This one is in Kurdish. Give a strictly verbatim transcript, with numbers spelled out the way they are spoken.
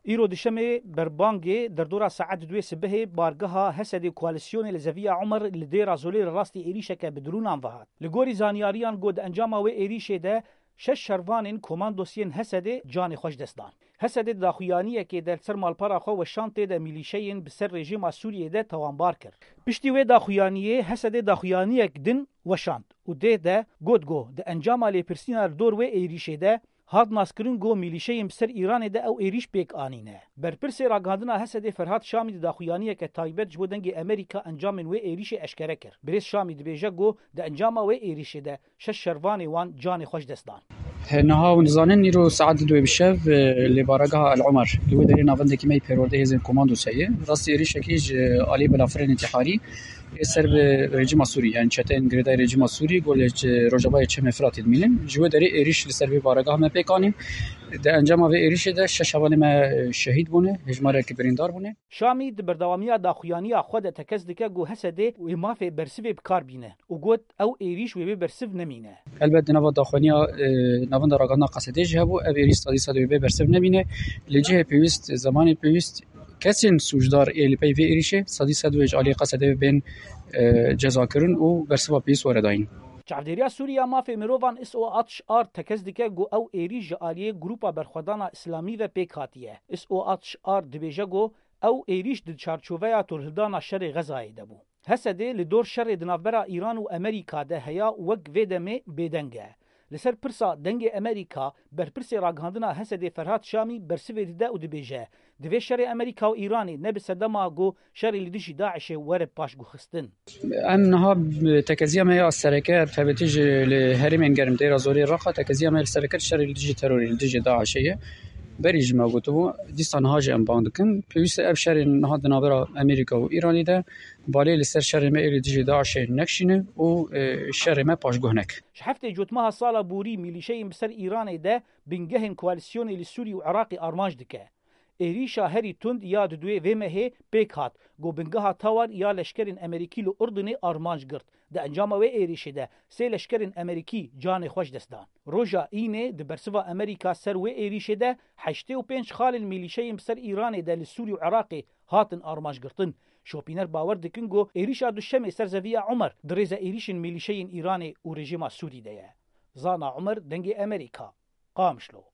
Îro dişemê berbangê derdora saet duê sibehê bargeha Hesedê koalîsyonê li Zeviya Umer li Dêra Zolê li rastî êrîşeke bi drûnan ve hat. Li gorî zanyariyan ku di encama wê êrîşê de şeş şervanên komandosiyên Hesedê canê xwe ji dest dan. Hesedê di daxuyaniyekê de li ser malpera xwe weşan tê de mîlîşeyên bi ser rejîma Sûriyê de tawanbar kir. Piştî wê daxuyaniyê Hesedê daxuyaniyek din weşand û dê de got ku di encama lêpirsîna li dor wê êrîşê de hat naskirin ku mîlîşeyên bi ser Îranê de ew êrîş pêk anîne. Berpirsê ragihandina Hesedê Ferhat Şamî di daxuyaniyeke taybet ji bo Dengê Amerîka encamên wê êrîşê eşkere kir. Birêz Şamî dibêje ku di encama wê êrîşê de şeş şervanê wan canê xwe ji dest dan. He, niha hûn dizanin, îro saet duê bi şev, e, li baregeha El Omer, li wê derê navendekî me yê perwerdehê hêzên komandos heye. Rastî êrîşekî ji alî Belafirên Întîharî ê ser bi rejîma Sûrî, yani çeteyên girêdayî rejîma Sûrî, ku li, e, rojavayê Çemê Firatê dimînin. Ji wê derê êrîş li ser vê baregeha me pêk anîn. Di encama vê êrîşê de şeş hevalê me, e, şehîd bûne, hejmarek birîndar bûne. Şamî di berdewamiya daxuyaniya xwe de tekez dike ku Hesedê wê mafê bersivê bi kar bîne û got, ew êrîş wê bê bersiv nemîne. Helbet di nava daxuyaniya, e, navenda ragihandina Qesedê jî hebû, ev êrîş sedî sed wê bê bersiv nemîne. Li cihê pêwîst, zemanê pêwîst, kesên sûcdar ê li pey vê êrîşê sedî sed wê ji aliyê Qesedê bên, e, cezakirin û bersiva pêwîst were dayîn. Çavdêriya Sûrî ya Mafê Mirovan S O altmış tekez dike ku ew êrîş ji aliyê Grupa Berxwedana Îslamî ve pêk hatiye. S O altmış dibêje ku ew êrîş di çarçoveya torhildana şerê Xezayê de bû. Hesedê li dor şerê di navbera Îran û Amerîka de heya û wek vê demê bêdeng e. Li ser pirsa Dengê Amerîka, berpirsê ragihandina Hesedê Ferhat Şamî bersivê dide û dibêje, divê şerê Amerîka û Îranê nebe sedema ku şerê li dijî DAIŞê were paşguhxistin. Em niha, e, tekeziya me ya sereke, taybetî jî li herêmên germ Dêra Zorê, Reqa, tekeziya me li sereke şerê li dijî terorê, li dijî DAIŞê ye. Berî jî me gotibû, dîsa niha jî em bang dikin. Pêwîst e ev şerê niha di navbera Amerîka û Îranê de balê li ser şerê me ê li dijî DAIŞê nekişîne û, e, şerê me paşguh neke. Ji heftê Cotmeha sala borî mîlîşeyên bi ser Îranê de bingehên koalîsyonê li Sûrî û Iraqê armanc dike. Êrîşa herî tund ya di duê vê mehê pêk hat, ku bingeha tawan ya leşkerên Amerîkî li Urdunê armanc girt. Di encama wê êrîşê de sê leşkerên Amerîkî canê xwe ji dest dan. Roja Înê di bersiva Amerîka ser wê êrîşê de heştê û pênc xalên mîlîşeyên bi ser Îranê de li Sûrî û Iraqê hatin armanc girtin. Şopîner bawer dikin ku êrîşa duşemê ser Zeviya Umer di rêza êrîşên mîlîşeyên Îranê û rejîma Sûrî de ye. Zana Umer, Dengê Amerîka, Qamişlo.